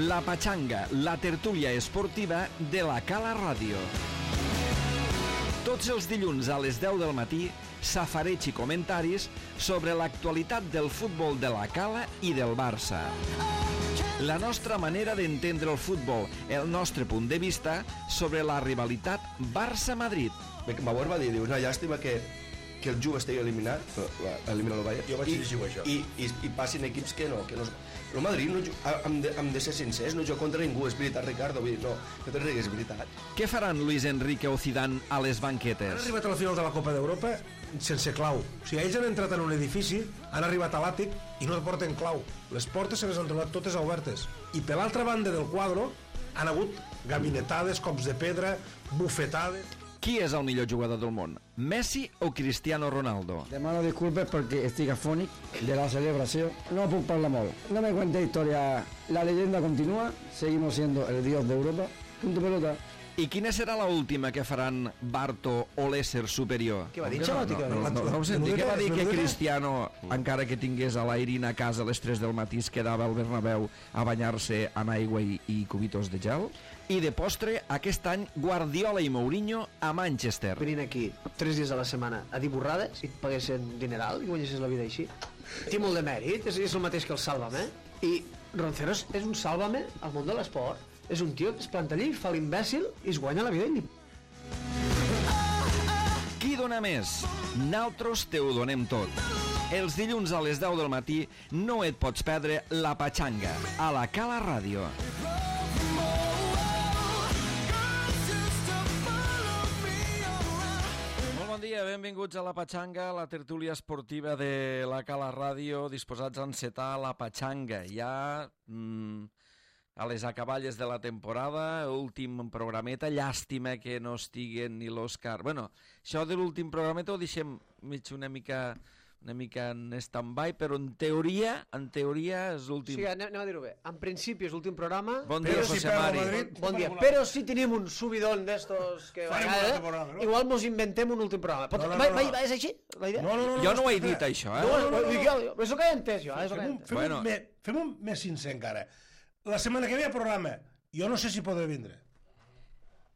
La Patxanga, la tertúlia esportiva de la Cala Ràdio. Tots els dilluns a les 10 del matí, safareig i comentaris sobre l'actualitat del futbol de la Cala i del Barça. La nostra manera d'entendre el futbol, el nostre punt de vista sobre la rivalitat Barça-Madrid. Bauer va dir, una llàstima que el Juve estigui eliminat, eliminar el Bayern. Jo vaig dir això. I passin equips que no. El Madrid, hem de ser sincers, no juga contra ningú, és veritat, Ricardo, vull dir, no te rigues, és veritat. Què faran Luis Enrique o Zidane a les banquetes? Han arribat a la final de la Copa d'Europa sense clau. O sigui, ells han entrat en un edifici, han arribat a l'àtic i no porten clau. Les portes se les han trobat totes obertes. I per l'altra banda del quadre han hagut gabinetades, cops de pedra, bufetades. Qui és el millor jugador del món? Messi o Cristiano Ronaldo? Demano disculpes perquè estic afònic de la celebració. No puc parlar molt. No me cuente historia. La leyenda continúa. Seguimos siendo el dios de Europa. Punto pelota. I quina serà l'última que faran Barto o l'ésser superior? Què va dir? No ho senti. Què va dir que Cristiano, encara que tingués a l'Airin a casa a les 3 del matí, es quedava al Bernabéu a banyar-se en aigua i cubitos de gel? I de postre, aquest any, Guardiola i Mourinho a Manchester. Venint aquí 3 dies a la setmana a dir borrades i et paguessin dineral i guanyessis la vida així. Té molt de mèrit, és el mateix que el Sálvame. I Ronceros és un Sálvame al món de l'esport. És un tio que es planta allí, fa l'imbècil i es guanya la vida i... Qui dona més? Naltros te ho donem tot. Els dilluns a les 10 del matí no et pots perdre La Patxanga a la Cala Ràdio. Molt bon dia, benvinguts a La Patxanga, la tertúlia esportiva de la Cala Ràdio, disposats a encetar La Patxanga. Ja... a les acaballes de la temporada, últim programeta, llàstima que no estiguen ni l'Òscar. Bueno, això de l'últim programeta ho deixem una mica en stand-by, però en teoria és l'últim... Sí, anem a dir-ho bé. En principi és l'últim programa. Bon dia, José Mari. Bon dia. Però si tenim un subidón d'estos que... Igual mos inventem un últim programa. És així, la idea? Jo no ho he dit, això, eh? És el que he entès, jo. Fem-ho més sincer encara. La setmana que ve a programa, jo no sé si podré vindre.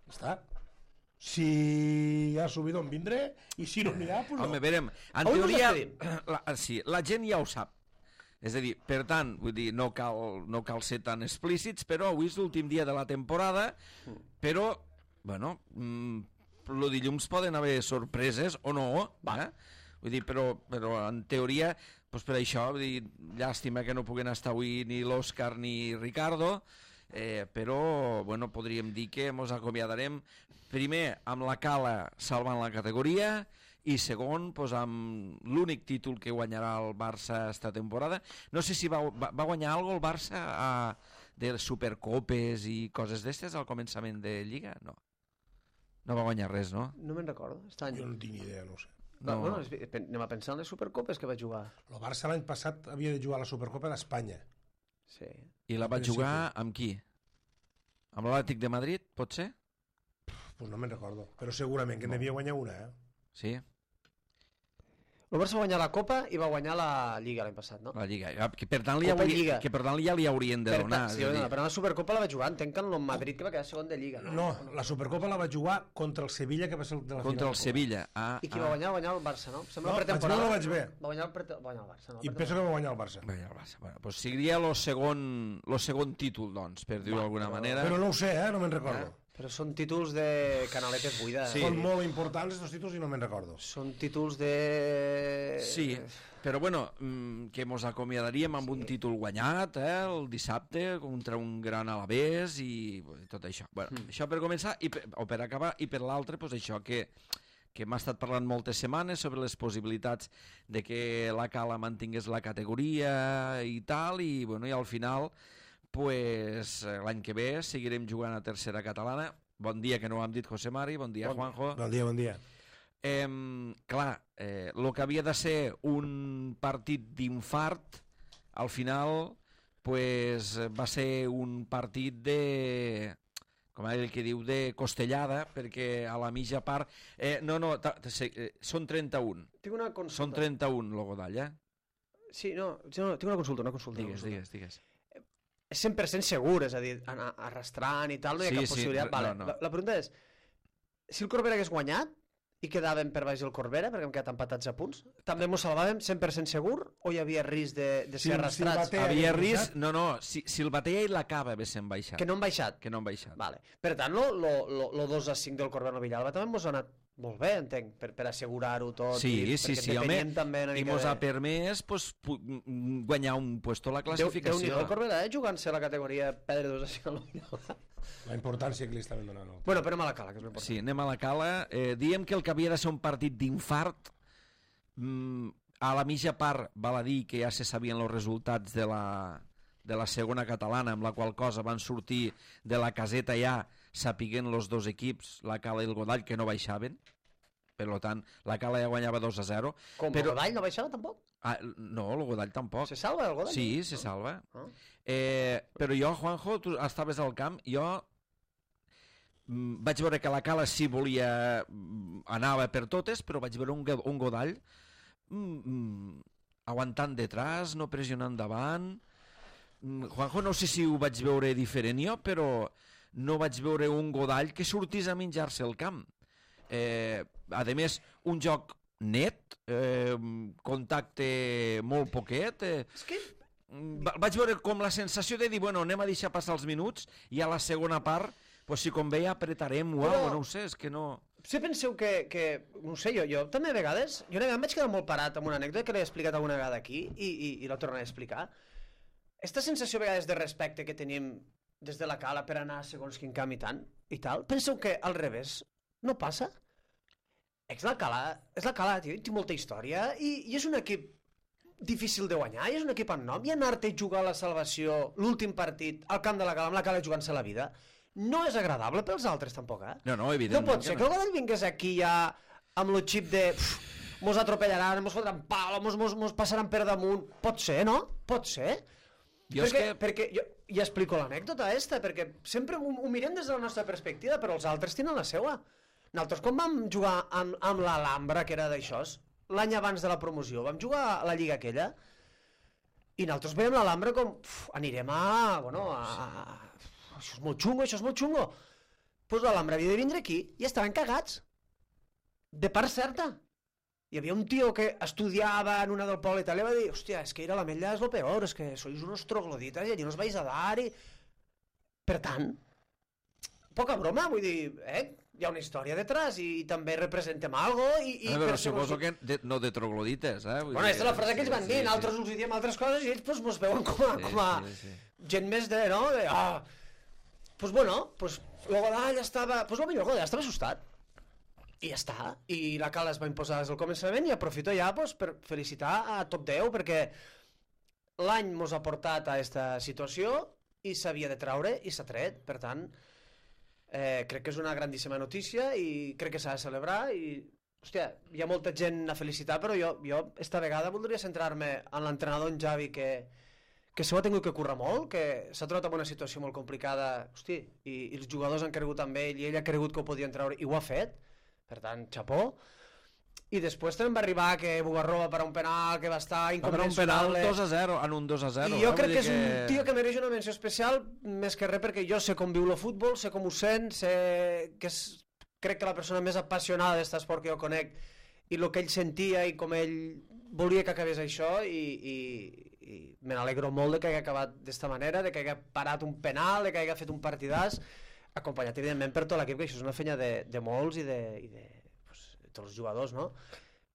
Està. Si hi ha subidón vindré, i si no n'hi ha, doncs no. Home, verem, en teoria, la gent ja ho sap. És a dir, per tant, vull dir, no cal ser tan explícits, però avui és l'últim dia de la temporada, però, bueno, el dilluns poden haver sorpreses o no, vull dir, però en teoria... Doncs per això, vull dir, llàstima que no puguen estar avui ni l'Òscar ni Ricardo, però bueno, podríem dir que ens acomiadarem primer amb la Cala salvant la categoria i segon doncs, amb l'únic títol que guanyarà el Barça esta temporada. No sé si va guanyar alguna cosa el Barça de Supercopes i coses d'estes al començament de Lliga? No va guanyar res, no? No me'n recordo. Jo no tinc idea, no ho sé. No. Bueno, anem a pensar en les Supercopes que va jugar. El Barça l'any passat havia de jugar a la Supercopa d'Espanya. Sí. I la va jugar amb qui? Amb l'Atlètic de Madrid, pot ser? Pues no me'n recordo, però segurament que n'havia guanyat una, Sí. El Barça va guanyar la Copa i va guanyar la Lliga l'any passat, no? La Lliga, que per tant ja li haurien de donar. Sí, però la Supercopa la va jugar, entenc que en el Madrid que va quedar segon de Lliga. No, la Supercopa la va jugar contra el Sevilla, que va ser de la final. Contra el Sevilla. I qui va guanyar? Va guanyar el Barça, no? No, no vaig bé. Va guanyar el Barça. I penso que va guanyar el Barça. Bueno, doncs seria el segon títol, doncs, per dir-ho d'alguna manera. Però no ho sé, no me'n recordo. Però són títols de canaletes buides. Sí. Són molt importants aquests títols i no me'n recordo. Són títols de... Sí, però bueno, que mos acomiadaríem amb un títol guanyat el dissabte contra un gran Alavés i tot això. Bueno, això per començar o per acabar, i per l'altre, doncs això que m'ha estat parlant moltes setmanes sobre les possibilitats de que la Cala mantingués la categoria i tal, i bueno, i al final... pues l'any que ve seguirem jugant a tercera catalana. Bon dia, que no ho hem dit, José Mari. Bon dia, Juanjo. Bon dia. Clar, el que havia de ser un partit d'infart, al final pues, va ser un partit de... com el que diu, de costellada, perquè a la mitja part... són 31. Tinc una consulta. Són 31, el Godall, Sí, no, tinc una consulta. Digues. és 100% segur, és a dir, anar arrastrant i tal, no hi ha cap possibilitat. Vale. No. La pregunta és, si el Corbera hagués guanyat i quedàvem per baix el Corbera, perquè hem quedat empatats a punts, també ens salvàvem 100% segur o hi havia risc de ser arrastrats? Batea havia risc, si el Batea i la Cava haguessin baixat. Que no han baixat? Que no han baixat. Vale. Per tant, lo 2-5 del Corbera Villalba també ens ha anat molt bé, entenc, per assegurar-ho tot. Sí, home, també i mos ha permès guanyar un puesto a la classificació. Déu-n'hi-do el Corbera, jugant-se a la categoria pedra 2-5 al Villalba. La importància que li estaven donant. Bueno, però anem a la Cala, que és l'important. Sí, anem a la Cala. Diem que el que havia de ser un partit d'infart, a la mitja part val a dir que ja se sabien els resultats de la segona catalana, amb la qual cosa van sortir de la caseta ja sapiguent els dos equips, la Cala i el Godall, que no baixaven. Per tant, la Cala ja guanyava 2-0. Com, el Godall no baixava tampoc? No, el Godall tampoc. Se salva el Godall? Sí, se salva. Però jo, Juanjo, tu estaves al camp, jo vaig veure que la Cala sí volia, anava per totes, però vaig veure un Godall aguantant detrás, no pressionant davant. Juanjo, no sé si ho vaig veure diferent jo, però no vaig veure un Godall que sortís a menjar-se el camp. A més, un joc net, contacte molt poquet. És que vaig veure com la sensació de dir, bueno, anem a deixar passar els minuts i a la segona part, si convé apretarem, no ho sé, és que no... Si penseu que no sé, jo també a vegades, jo em vaig quedar molt parat amb una anècdota que l'he explicat alguna vegada aquí i la tornaré a explicar. Esta sensació a vegades de respecte que tenim des de la Cala per anar segons quin camp i tal, penseu que al revés no passa? És la Cala, tio, té molta història i és un equip difícil de guanyar, i és un equip amb nom, i anar-te a jugar a la salvació l'últim partit al camp de la Cala, amb la Cala jugant-se la vida, no és agradable pels altres tampoc, eh? No, evidentment. No pot ser que el Godall vingués aquí ja amb el xip de mos atropellaran, mos fotran pal, mos passaran per damunt. Pot ser, no? Pot ser. Perquè jo ja explico l'anècdota esta, perquè sempre ho mirem des de la nostra perspectiva, però els altres tenen la seua. Nosaltres, quan vam jugar amb l'Alhambra, que era d'això, l'any abans de la promoció, vam jugar a la lliga aquella, i nosaltres veiem l'Alhambra com, anirem això és molt xungo. Doncs l'Alhambra havia de vindre aquí i estaven cagats. De part certa. Hi havia un tio que estudiava en una del poble i tal, i va dir, hòstia, és que ir a l'Ametlla és lo peor, és que sois unos trogloditas i allí no us vais a dar. Per tant, poca broma, vull dir, hi ha una història detrás i també representem algo però suposo que no de troglodites, Bueno, aquesta és la frase que ells van dir, nosaltres us diem altres coses i ells mos veuen com a gent més de, no? Pues bueno, el Godall estava... Pues el millor Godall estava assustat. I ja està. I la Cala es va imposar des del començament i aprofito ja per felicitar a top 10 perquè l'any mos ha portat a aquesta situació i s'havia de traure i s'ha tret. Per tant, crec que és una grandíssima notícia i crec que s'ha de celebrar i... Hòstia, hi ha molta gent a felicitar, però jo esta vegada voldria centrar-me en l'entrenador, en Javi, que s'ho ha tingut que currar molt, que s'ha trobat en una situació molt complicada, hosti, i els jugadors han cregut en ell i ell ha cregut que ho podien treure i ho ha fet, per tant, xapó. I després també va arribar que Bugarró va parar un penal que va estar inconvencionable. Va parar un penal 2-0, en un 2-0. I jo crec que és un tio que mereix una menció especial, més que res perquè jo sé com viu el futbol, sé com ho sent, sé que crec que la persona més apassionada d'aquest esport que jo conec i el que ell sentia i com ell volia que acabés això i me n'alegro molt de que hagi acabat d'esta manera, de que hagi parat un penal, de que hagi fet un partidàs, acompanyat evidentment per tot l'equip, que això és una feina de molts i de tots els jugadors, no?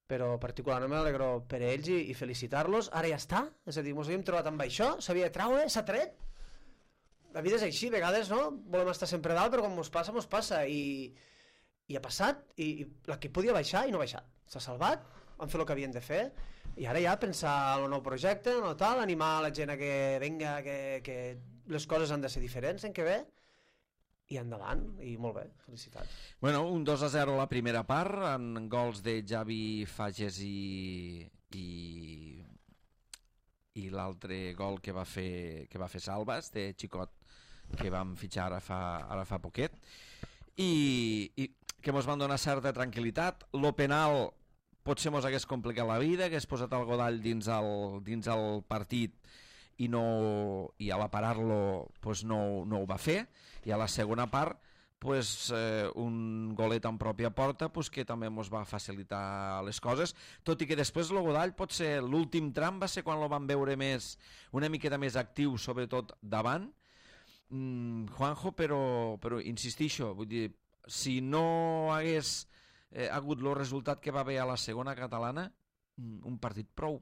Però particularment m'alegro per ells i felicitar-los. Ara ja està, és a dir, ens havíem trobat amb això, s'havia de traure, s'ha tret. La vida és així, a vegades, no? Volem estar sempre dalt, però quan mos passa, i ha passat, i l'equip podia baixar i no ha baixat. S'ha salvat, han fet el que havien de fer, i ara ja pensar en el nou projecte, en el tal, animar la gent a que venga, que les coses han de ser diferents en què ve, i endavant, i molt bé, felicitats. Bueno, un 2-0 a la primera part, amb gols de Javi Fages i l'altre gol que va fer Salvas, de Xicot, que vam fitxar ara fa poquet, i que mos van donar certa tranquil·litat. Lo penal potser mos hagués complicat la vida, hagués posat el Godall dins el partit i a la parar-lo pues no ho va fer, i a la segona part pues, un golet en pròpia porta pues, que també ens va facilitar les coses, tot i que després el Godall potser l'últim tram va ser quan lo van veure més, una miqueta més actiu, sobretot davant, Juanjo, però insistixo, vull dir, si no hagués hagut el resultat que va haver a la segona catalana, un partit prou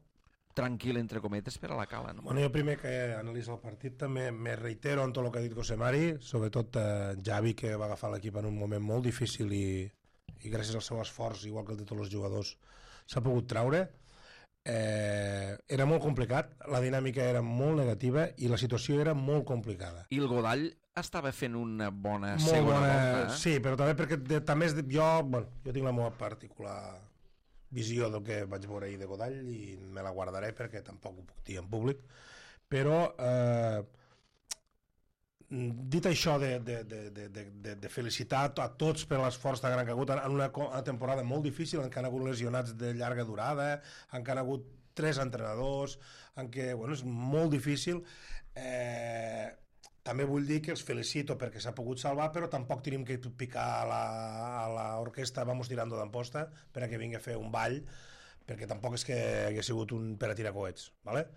tranquil, entre cometes, per a la Cala. No? Bueno, jo primer que analitzo el partit també me reitero en tot el que ha dit José Mari, sobretot Javi, que va agafar l'equip en un moment molt difícil i gràcies al seu esforç, igual que el de tots els jugadors, s'ha pogut traure. Era molt complicat, la dinàmica era molt negativa i la situació era molt complicada. I el Godall estava fent una bona segona volta. Sí, però també perquè també jo tinc la meva particular visió del que vaig veure ahir de Godall i me la guardaré perquè tampoc ho puc dir en públic, però dit això de felicitar a tots per l'esforç tan gran que ha hagut en una temporada molt difícil, en què han hagut lesionats de llarga durada, en què han hagut 3 entrenadors, en què és molt difícil, també vull dir que els felicito perquè s'ha pogut salvar, però tampoc tenim que picar a l'orquestra vamos tirando d'amposta perquè vingui a fer un ball, perquè tampoc és que hagués sigut un per a tirar coets, ¿vale?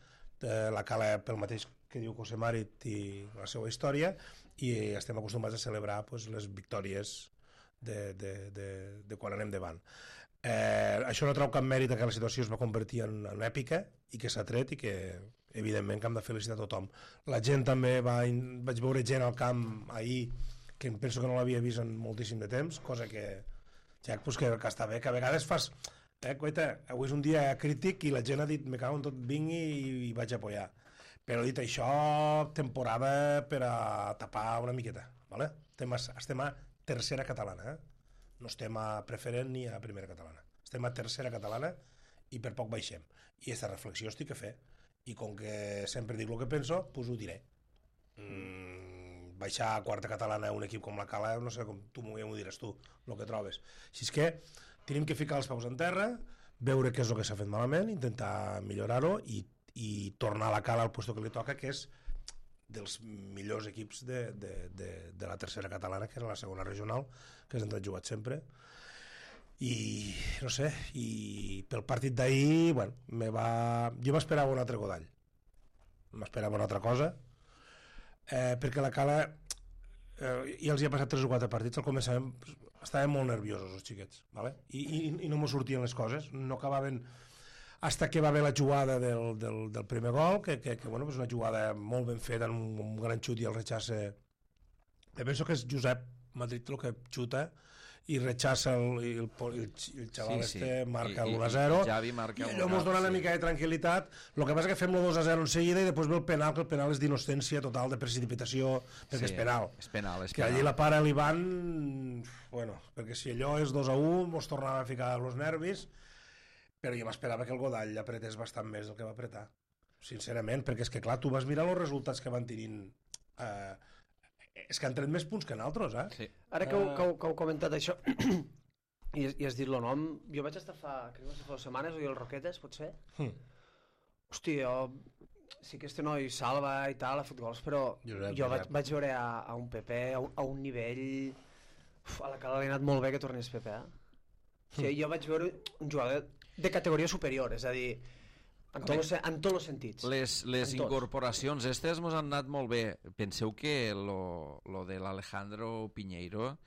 La Cala, pel mateix que diu José Mari, i la seva història, i estem acostumats a celebrar les victòries de quan anem davant. Això no treu cap mèrit que la situació es va convertir en èpica i que s'ha tret i que evidentment que hem de felicitar a tothom. La gent també, vaig veure gent al camp ahir que penso que no l'havia vist en moltíssim de temps, cosa que està bé, que a vegades fas coita, avui és un dia crític i la gent ha dit me cago en tot, vingui i vaig a apoyar, però dit això, temporada per a tapar una miqueta, ¿vale? Estem a tercera catalana, no estem a preferent ni a primera catalana, estem a tercera catalana i per poc baixem, i aquesta reflexió estic a fer, i com que sempre dic el que penso, doncs ho diré. Baixar a quarta catalana un equip com la Cala, no sé com tu m'ho diràs tu, el que trobes. Així és que tenim que ficar els peus en terra, veure què és el que s'ha fet malament, intentar millorar-ho i tornar a la Cala al lloc que li toca, que és dels millors equips de la tercera catalana, que era la segona regional, que és on he jugat sempre. I no sé, i pel partit d'ahir jo m'esperava un altre Godall, m'esperava una altra cosa, perquè la Cala ja els hi ha passat 3 o 4 partits, al començament estaven molt nerviosos els xiquets, ¿vale? I no m'ho sortien les coses, no acabaven hasta que va haver la jugada del primer gol, que és una jugada molt ben feta, un gran xut i el rechace. Penso que és Josep Madrid el que xuta i rechaça el xaval marca l'1-0 i allò ens dona una mica de tranquil·litat. El que passa és que fem el 2-0 en seguida i després ve el penal, que el penal és d'innocència total, de precipitació, perquè és penal. Que allí la para l'Ivan, perquè si allò és 2-1 ens tornava a ficar els nervis, però jo m'esperava que el Godall apretés bastant més del que va apretar, sincerament, perquè és que clar, tu vas mirar els resultats que van tenint, és que han tret més punts que nosaltres, Sí. Ara que heu comentat això i has dit el nom, jo vaig estar crec que va ser fa 2 setmanes, o el Roquetes, potser? Hòstia, sí que este noi salva i tal, ha fet gols, però jo vaig veure a un Pepe a un nivell, a la Cala li ha anat molt bé que tornés Pepe, Sí, jo vaig veure un jugador de categoria superior, és a dir, en tots els sentits. Les incorporacions estes ens han anat molt bé. Penseu que lo de l'Alejandro Piñeiro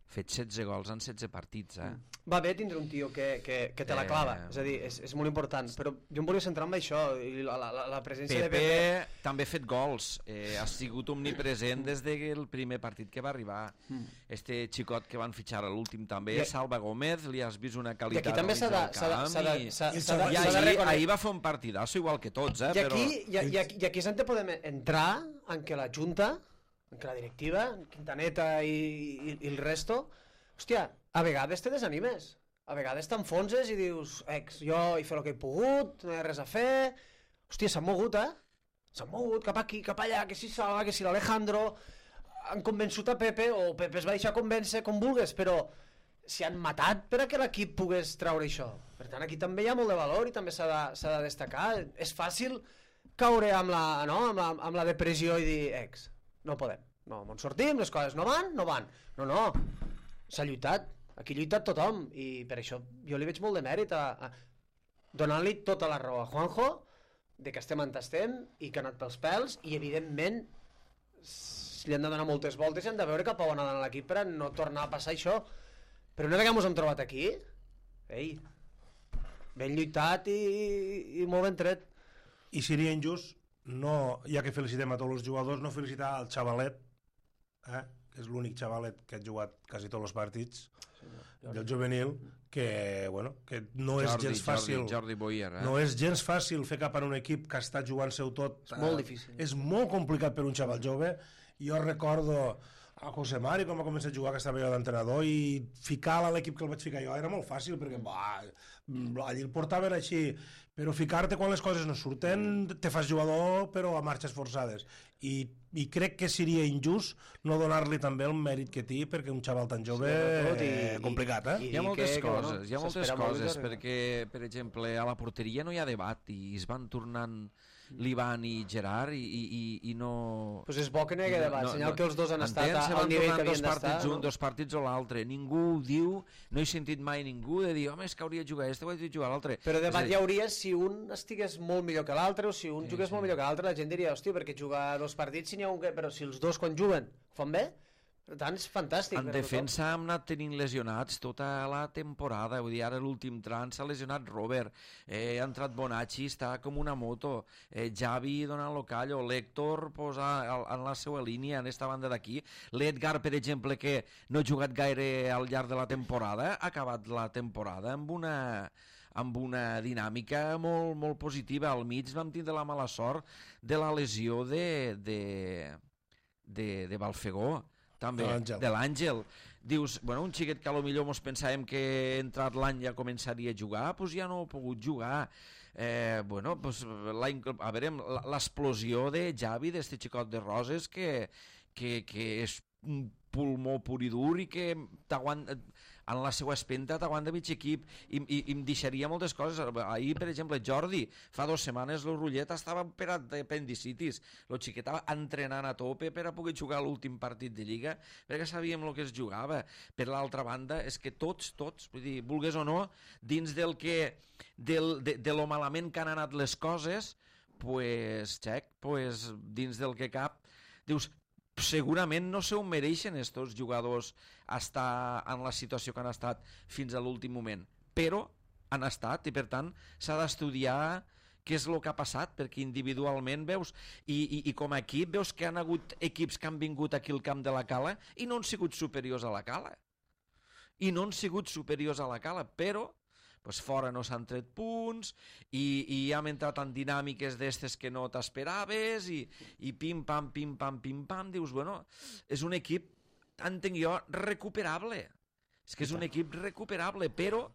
fet 16 gols en 16 partits, Va bé tindre un tio que te la clava, és a dir, és molt important, però jo em volia centrar en això, i la presència de Pepe també ha fet gols, ha sigut omnipresent des del primer partit que va arribar. Este xicot que van fitxar a l'últim també, Salva Gómez, li has vist una qualitat. I aquí també s'ha de reconèixer. Ahir va fer un partidasso igual que tots, I aquí és on podem entrar en què la Junta, que la directiva, Quintaneta i el resto, hòstia, a vegades te desanimes, a vegades t'enfonses i dius, jo he fet el que he pogut, no hi ha res a fer, hòstia, s'han mogut, s'han mogut cap aquí, cap allà, que si Salva, que si l'Alejandro, han convençut a Pepe, o Pepe es va deixar convèncer com vulgues, però s'hi han matat per a que l'equip pogués treure això. Per tant, aquí també hi ha molt de valor i també s'ha de destacar. És fàcil caure amb la depressió i dir, no podem, no, ens sortim, les coses no van. No, s'ha lluitat, aquí ha lluitat tothom, i per això jo li veig molt de mèrit a donant-li tota la raó a Juanjo, de que estem on estem i que ha anat pels pèls, i evidentment li han de donar moltes voltes i han de veure cap a on ha d'anar l'equip per a no tornar a passar això. Però una vegada ens hem trobat aquí, ben lluitat i molt ben tret. I seria injust, no, ja que felicitem a tots els jugadors, no felicitar al xavalet, que és l'únic xavalet que ha jugat quasi tots els partits del juvenil, que no és gens fàcil. Jordi Boyer, no és gens fàcil fer cap en un equip que està jugant-se-ho tot. És molt difícil. És molt complicat per un xaval jove. Jo recordo a José Mari quan va començar a jugar, que estava jo d'entrenador, i ficar-la a l'equip que el vaig ficar jo era molt fàcil, perquè allí el portaven així, però ficar-te quan les coses no surten te fas jugador però a marxes forçades, i crec que seria injust no donar-li també el mèrit que té, perquè un xaval tan jove complicat, Hi ha moltes coses, perquè per exemple a la porteria no hi ha debat i es van tornant l'Ivan i Gerard i no... Pues és bo que no hi hagi debat, senyal que els dos han estat al nivell que havien d'estar. Dos partits o l'altre, ningú diu, no he sentit mai ningú de dir, home, és que hauria de jugar ho hauria de jugar l'altre. Però debat hi hauria si un estigués molt millor que l'altre o si un jugués molt millor que l'altre, la gent diria, hòstia, perquè jugar 2 partits si n'hi ha un que... Però si els dos quan juguen fan bé, per tant és fantàstic. En defensa hem anat tenint lesionats tota la temporada, vull dir, ara l'últim tram s'ha lesionat Robert, ha entrat Bonacci, està com una moto, Javi donant-lo callo, l'Héctor en la seva línia, en esta banda d'aquí, l'Edgar, per exemple, que no ha jugat gaire al llarg de la temporada, ha acabat la temporada amb una dinàmica molt, molt positiva. Al mig vam tindre la mala sort de la lesió de Balfegó, també, de l'Àngel. Dius, bueno, un xiquet que potser mos pensàvem que entrat l'any ja començaria a jugar, doncs ja no ha pogut jugar. A veure, l'explosió de Javi, d'este xicot de Roses, que és un pulmó pur i dur i que t'aguanta... en la seva espenta t'aguanta mig equip i em deixaria moltes coses. Ahir, per exemple, Jordi, fa 2 setmanes el Rullet estava operat d'apendicitis, el xiquet estava entrenant a tope per a poder jugar l'últim partit de Lliga, perquè sabíem el que es jugava. Per l'altra banda, és que tots, vull dir, vulgues o no, dins de lo malament que han anat les coses, dins del que cap, dius, segurament no se ho mereixen estos jugadors estar en la situació que han estat fins a l'últim moment, però han estat i per tant s'ha d'estudiar què és el que ha passat, perquè individualment veus i com a equip veus que han hagut equips que han vingut aquí al camp de la Cala i no han sigut superiors a la Cala però fora no s'han tret punts i hem entrat en dinàmiques d'estes que no t'esperaves i pim-pam, dius, bueno, és un equip, entenc jo, recuperable. És que és un equip recuperable, però...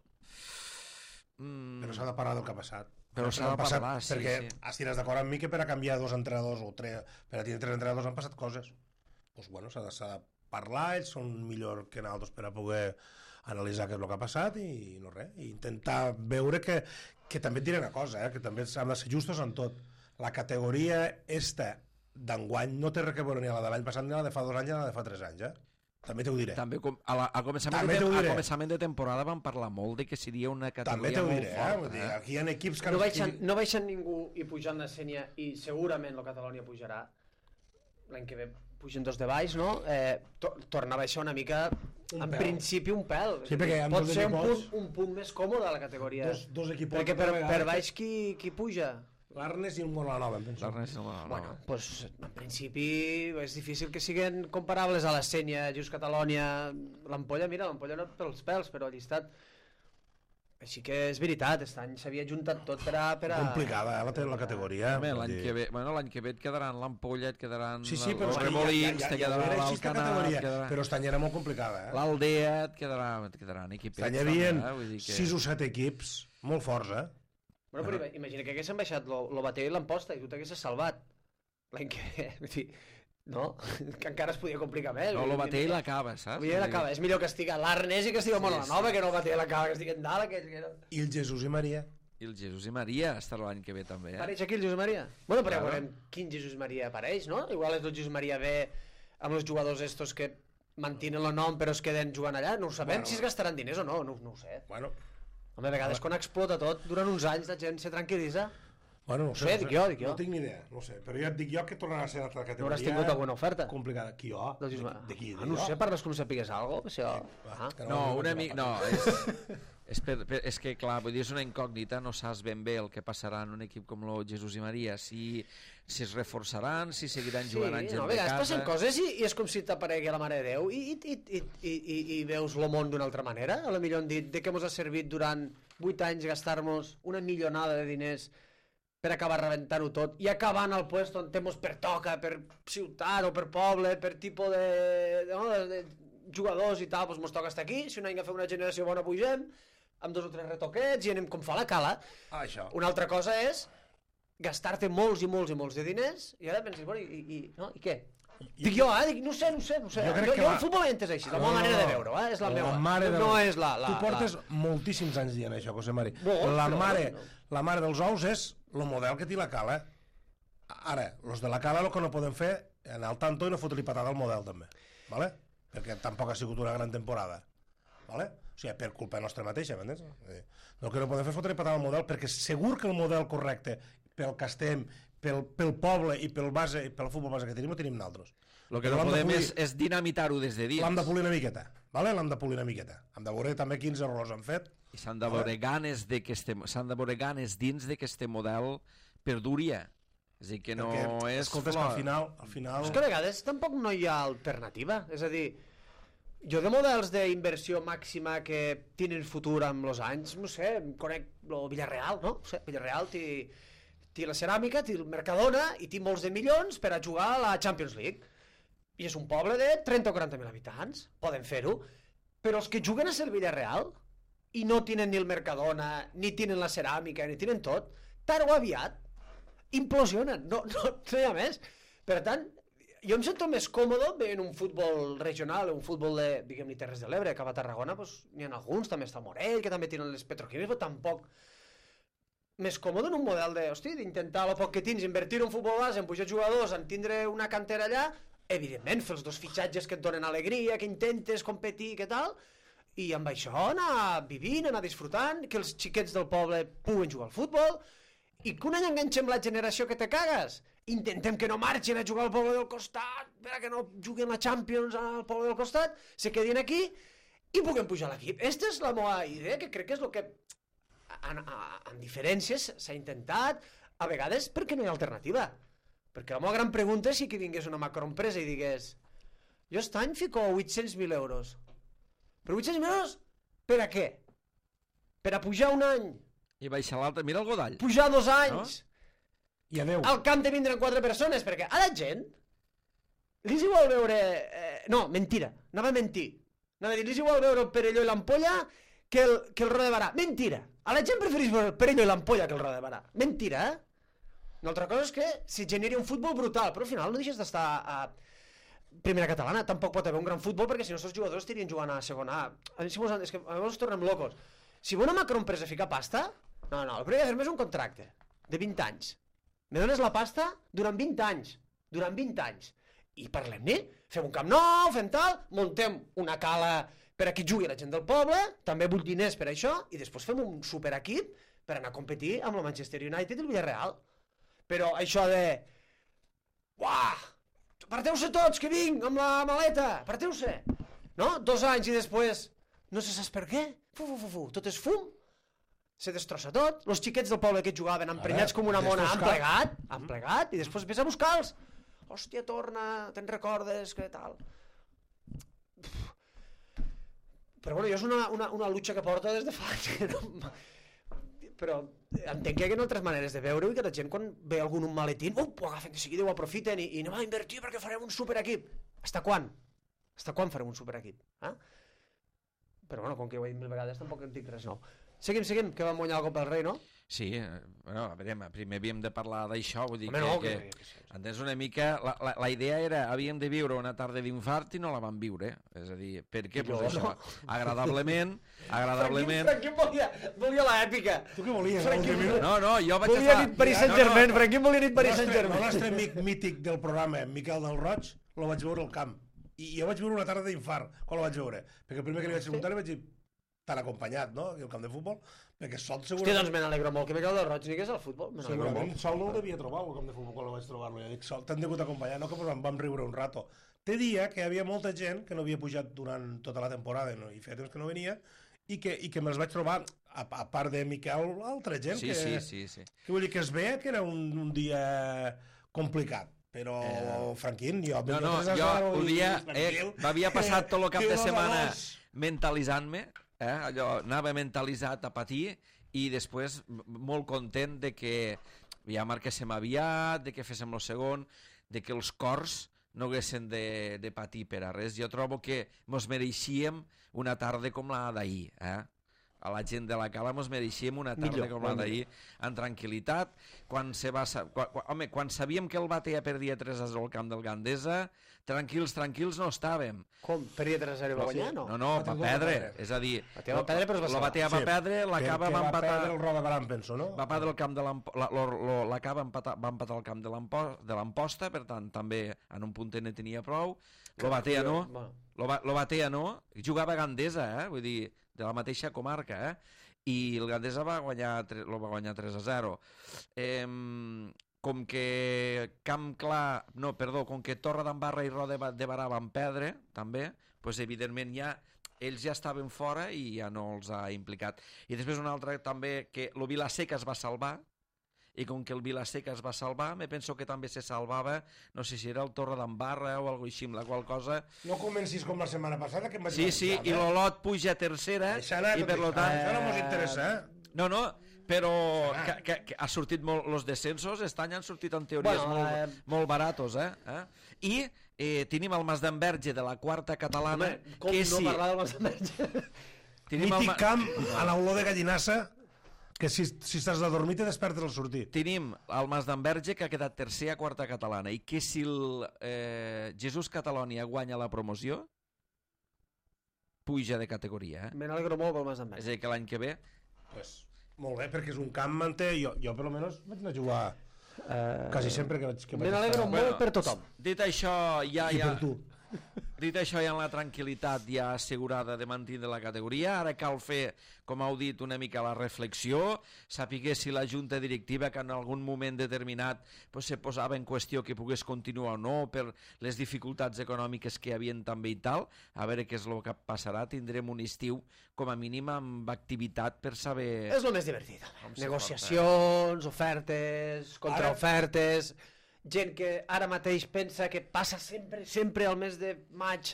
Però s'ha de parlar del que ha passat. Però s'ha de parlar, sí. Perquè estiràs d'acord amb mi que per a canviar 2 entrenadors o 3, per a tenir 3 entrenadors han passat coses. Doncs bueno, s'ha de parlar, ells són millor que nosaltres per a poder analitzar què és el que ha passat i no res, i intentar veure que també et diré una cosa, que també hem de ser justos en tot. La categoria esta d'enguany no té res a veure ni a la de l'any passat ni a la de fa 2 anys ni a la de fa 3 anys, També t'ho diré. També a començament de temporada vam parlar molt de que seria una categoria molt forta. Aquí hi ha equips que... No baixen ningú i pujant de Sènia i segurament el Catalònia pujarà. L'any que ve pugen 2 de baix, no? Torna a baixar una mica, en principi un pèl. Sí, pot ser un punt més còmode a la categoria. Dos equips. Perquè per baix qui puja? L'Arnes i el Molanova, em penso. Bueno, doncs en principi és difícil que siguin comparables a la Sènia, Just Catalònia, l'Ampolla, mira, l'Ampolla no pels pèls, però ha llistat. Així que és veritat, aquest any s'havia juntat tot per a... Complicada, la categoria. L'any que ve et quedaran l'Ampolla, et quedaran els Remolins, te quedarà l'Alcanar... Però aquest any era molt complicada. L'Aldea et quedaran equipets. Aquest any hi havia 6 o 7 equips, molt forts, Bueno, però imagina que haguessin baixat l'Obatell i l'Amposta i tu t'haguessis salvat l'any que ve. No? Que encara es podia complicar més. No, l'Obatell l'acaba, saps? És millor que estigui a l'Arnes i que estigui a Molanova que no l'Obatell l'acaba, que estigui en dalt. I el Jesús i Maria. aquí el Jesús i Maria estarà l'any que ve també, Apareix aquí el Jesús Maria? Bueno, però ja Claro. veurem quin Jesús Maria apareix, no? Igual és el Jesús Maria B amb els jugadors estos que mantenen el nom però es queden jugant allà. No ho sabem si es gastaran diners o no, no ho sé. Bueno, Home, a vegades quan explota tot, durant uns anys la gent se tranquil·litza. bueno, no sé, dic jo. No tinc ni idea, no sé. Però ja et dic jo que tornarà a ser l'altra No categoria. hauràs tingut alguna oferta? Complicada. Qui jo? Del Jesús Maria. De qui? No ho sé, parles com si sapigués alguna cosa. Va, que No, una no, mica... No, és que, clar, vull dir, és una incògnita, no saps ben bé el que passarà en un equip com el Jesús i Maria, si es reforçaran, si seguiran jugant anys no, a de vegades casa... passen coses i és com si t'aparegui la Mare de Déu i veus el món d'una altra manera. A lo millor han dit de què ens ha servit durant 8 anys gastar-nos una milionada de diners per acabar rebentant-ho tot i acabant al puesto on mos pertoca per ciutat o per poble, per tipus de jugadors i tal, doncs mos toca estar aquí. Si un any a fer una generació bona pugem amb 2 o 3 retoquets i anem com fa la cala. Això. Una altra cosa és gastar-te molts i molts i molts de diners i ara penses, bueno, i què? Dic jo, dic, no sé. Jo crec que jo va- el futbol l'he entès així, la meva manera de veure-ho, és la meva. No és la... Tu portes moltíssims anys dient això, José Mari. Molt, La però mare, no. la mare dels ous és el model que té la Cala. Ara, els de la Cala el que no poden fer anar al tanto i no fotre-li patada al model també, ¿vale? Perquè tampoc ha sigut una gran temporada, ¿vale? O sigui, per culpa nostra mateixa, m'entens? El que no podem fer és fotre-li patada al model perquè segur que el model correcte pel que estem, pel poble i pel futbol base que tenim ho tenim nosaltres. El que no podem és dinamitar-ho des de dins. L'hem de polir una miqueta, ¿vale? L'hem de polir una miqueta. Hem de veure també quins errors han fet. I s'han de veure ganes dins de que este model perduria. És a dir, que no Perquè, és escolta, és que al final... És que a vegades tampoc no hi ha alternativa, és a dir, jo de models d'inversió màxima que tenen futur amb els anys, no sé, em conec el Villarreal, no? No sé, Villarreal té la ceràmica, té el Mercadona i té molts de milions per a jugar a la Champions League. I és un poble de 30 o 40.000 habitants, poden fer-ho, però els que juguen a ser el Villarreal i no tenen ni el Mercadona, ni tenen la ceràmica, ni tenen tot, tard o aviat implosionen, no hi ha més. Per tant, jo em sento més còmode veient un futbol regional, un futbol de, diguem-ne, Terres de l'Ebre, cap a Tarragona, doncs n'hi ha alguns, també està el Morell, que també tenen les petroquímiques, però tampoc més còmode en un model de, hosti, d'intentar el poc que tens, invertir en futbol base, en pujar jugadors, en tindre una cantera allà, evidentment, fer els 2 fitxatges que et donen alegria, que intentes competir, que tal, i amb això anar vivint, anar disfrutant, que els xiquets del poble puguen jugar al futbol, i que un any enganxem la generació que te cagues. Intentem que no marxin a jugar al poble del costat, que no juguin la Champions al poble del costat, se quedin aquí i puguem pujar a l'equip. Aquesta és la meva idea, que crec que és el que en diferències s'ha intentat, a vegades perquè no hi ha alternativa. Perquè la meva gran pregunta és si que vingués una macroempresa i digués jo aquest any fico 800.000 euros. Però 800.000 euros per a què? Per a pujar un any? I baixar l'altre, mira el Godall. Pujar 2 anys? I adeu. Al camp de vindran 4 persones, perquè a la gent li és igual veure... no, mentira, anava a mentir. Anava a dir, li és igual veure el Perelló i l'Ampolla que el Roda de Barà. Mentira. A la gent preferís veure el Perelló i l'Ampolla que el Roda de Barà. Mentira, Una altra cosa és que si generi un futbol brutal, però al final no deixes d'estar a primera catalana. Tampoc pot haver un gran futbol perquè si no els jugadors estarien jugant a segona A. És que a vegades tornem locos. Si una macroempresa fica pasta, no, el primer que fer-me és un contracte de 20 anys. Me dones la pasta durant 20 anys. Durant 20 anys. I parlem-ne, fem un camp nou, fem tal, muntem una cala per a qui jugui la gent del poble, també vull diners per això, i després fem un superequip per anar a competir amb el Manchester United i el Villarreal. Però això de... Uah! Parteu-se tots, que vinc, amb la maleta, parteu-se! No? 2 anys i després... No se saps per què? Tot és fum. Se destrossa tot. Los xiquets del poble que jugaven emprenyats com una mona han plegat i després ves a buscar-los. Hòstia, torna, te'n recordes, què tal? Però bueno, jo és una lucha que porto des de fa anys. Però entenc que hi ha altres maneres de veure-ho i que la gent quan ve algun un maletín, ho agafen de seguida, ho aprofiten i anem a invertir perquè farem un superequip. Hasta quan? Hasta quan farem un superequip? Però bueno, com que ho he dit 1000 vegades tampoc en dic res nou. Seguim, que vam guanyar la Copa del Rei, no? Sí, bueno, a veure, primer havíem de parlar d'això, vull dir Home, no, que- entens una mica, la idea era, havíem de viure una tarda d'infart i no la vam viure, és a dir, per què? Pues això, agradablement, Franquín volia l'èpica. Tu què volies? no, jo vaig Volia estar... nit Paris Saint-Germain, Franquín volia nit Paris El Saint-Germain. nostre amic mític del programa, Miquel del Roig, lo vaig veure al camp. I jo vaig veure una tarda d'infart quan lo vaig veure. Perquè el primer que li vaig preguntar li vaig dir tan acompanyat, no?, aquí al camp de futbol, perquè Sol Hòstia, segurament... doncs me n'alegro molt que Miquel del Roig ni que és al futbol. Me n'alegro Segurament molt. Sol no el devia trobar al camp de futbol quan el vaig trobar-lo. Jo dic, Sol, t'han degut acompanyar, no? Que pues, vam riure un rato. Te dia que hi havia molta gent que no havia pujat durant tota la temporada no? I feia temps que no venia i que me'ls vaig trobar, a part de Miquel, altra gent Sí, que... sí. Que vull dir que es veia que era un dia complicat. Però, Franquín, jo... No, jo m'havia passat tot el cap de setmana mentalitzant-me, allò, anava mentalitzat a patir i després molt content de que ja marquéssim aviat, de que féssim el segon, de que els cors no haguessin de patir per a res. Jo trobo que mos mereixíem una tarda com la d'ahir, a la gent de la Cala mos mereixíem una tarda com la d'ahir, en tranquil·litat. Quan sabíem que el Batea perdia 3-0 al camp del Gandesa, tranquils no estàvem. Com? Perdia 3-0 i va guanyar, no? No, va perdre. És a dir, Batea va perdre, però es va la Batea va perdre, l'Acaba va empatar... va perdre el Roda Baran, penso, no? Va perdre el camp de l'Acaba va empatar el camp de l'Amposta, per tant, també en un puntet ne tenia prou. Lo Batea no, jugava a Gandesa, vull dir, de la mateixa comarca, i el Gandesa va guanyar 3-0. Com que com que Torre d'Embarra i Roda de Barà van perdre, també, doncs evidentment ells ja estaven fora i ja no els ha implicat. I després una altra també, que el Vilaseca es va salvar, i com que el Vilaseca es va salvar, me penso que també se salvava, no sé si era el Torre d'Embarra o alguna cosa així, amb la qual cosa... No comencis com la setmana passada, que em vaig... Sí, i l'Olot puja a tercera, i per lo tant... Això no mos interessa, No, però que ha sortit molt... Els descensos, aquest any han sortit en teories molt baratos, I tenim el Mas d'Enverge de la quarta catalana... Com no parlar del Mas d'Enverge? Mític camp a l'olor de gallinassa, que si estàs de dormir te despertes al sortir. Tenim el Mas d'Enverge, que ha quedat tercer a quarta catalana, i que si el Jesús Catalònia guanya la promoció, puja de categoria. Me n'alegro molt pel Mas És d'Enverge. a dir, que l'any que ve... Pues, molt bé, perquè és un camp manté. Jo per almenys vaig anar a jugar quasi sempre que vaig Me n'alegro molt per tothom. Dit això, I per tu. Dit això, ja en la tranquil·litat ja assegurada de mantenir la categoria, ara cal fer, com heu dit, una mica la reflexió, sapiguer si la junta directiva, que en algun moment determinat se posava en qüestió que pogués continuar o no, per les dificultats econòmiques que hi havia també i tal, a veure què és el que passarà. Tindrem un estiu, com a mínim, amb activitat per saber... És el més divertit. Negociacions, ofertes, contraofertes... Gent que ara mateix pensa que passa sempre al mes de maig.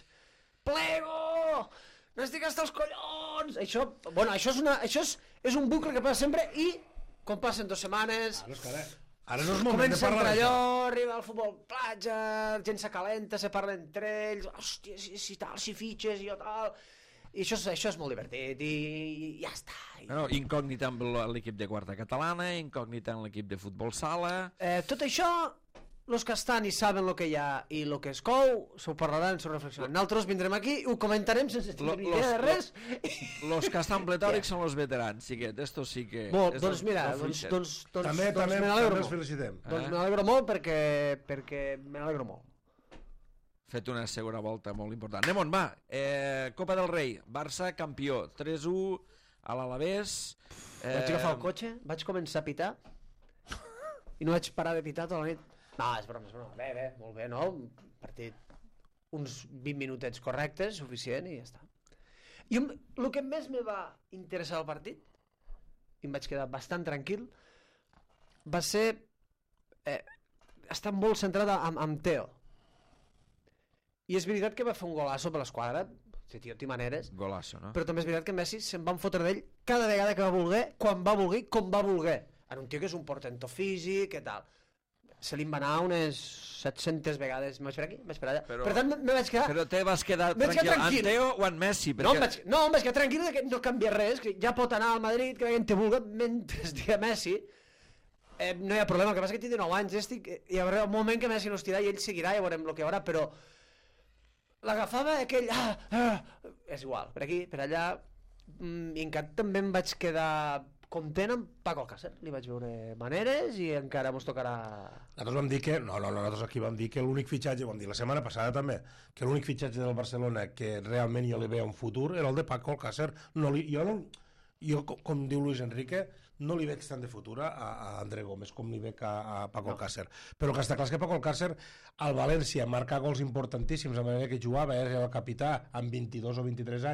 Plego! N'estic hasta els collons! Això és un bucle que passa sempre i quan passen 2 setmanes... Ara no és moment de comença a parlar entrar d'això. allò, arriba al futbol platja, gent s'acalenta, se parla entre ells, hòstia, si tal, si fitxes, jo tal... I això és molt divertit i ja està. No, incògnita amb l'equip de quarta catalana, incògnita amb l'equip de futbol sala... Tot això, els que estan i saben el que hi ha i el que es cou, s'ho parlaran, s'ho reflexionaran. Nosaltres vindrem aquí i ho comentarem sense tenir idea de res. Los que estan pletòrics són els veterans, xiquet, estos sí que... Doncs mira, També me n'alegro els molt. felicitem. Doncs me n'alegro molt perquè me n'alegro molt. Fet una segona volta molt important. Anem on va. Copa del Rei, Barça campió, 3-1 a l'Alavés. Vaig agafar el cotxe, vaig començar a pitar i no vaig parar de pitar tota la nit. No, és broma. Bé, molt bé, no? Un partit, uns 20 minutets correctes, suficient i ja està. I el que més me va interessar del partit, i em vaig quedar bastant tranquil, va ser estar molt centrat amb Teo. I és veritat que va fer un golasso per l'esquadra, tio, té maneres, Golasso, no? però també és veritat que Messi se'n van fotre d'ell cada vegada que va voler, quan va voler, com va voler. Era un tio que és un portento físic, què tal. se li va anar unes 700 vegades. Em vaig per aquí, em vaig per allà. Però- Per tant, me vaig quedar... Però te vas quedar Vaig quedar tranquil. tranquil. En Teo o en Messi? No, Perquè... em vaig quedar tranquil que no canvia res, que ja pot anar al Madrid, que veient te vulga, mentre estigui Messi, no hi ha problema. El que passa que té 19 anys, hi haurà un moment que Messi no estirà i ell seguirà, ja veurem el que hi haurà, però l'agafava aquell... és igual, per aquí, per allà, i encara també em vaig quedar content amb Paco Alcácer. Li vaig veure maneres i encara mos tocarà... Nosaltres vam dir que... No, nosaltres aquí vam dir que l'únic fitxatge, vam dir la setmana passada també, que l'únic fitxatge del Barcelona que realment jo li veia un futur era el de Paco Alcácer. Jo, com diu Luis Enrique, no li veig tant de futur a André Gómez com li veig a Paco Alcácer. Però el que està clar és que Paco Alcácer al València marca gols importantíssims a manera que jugava, era el capità amb 22 o 23 anys,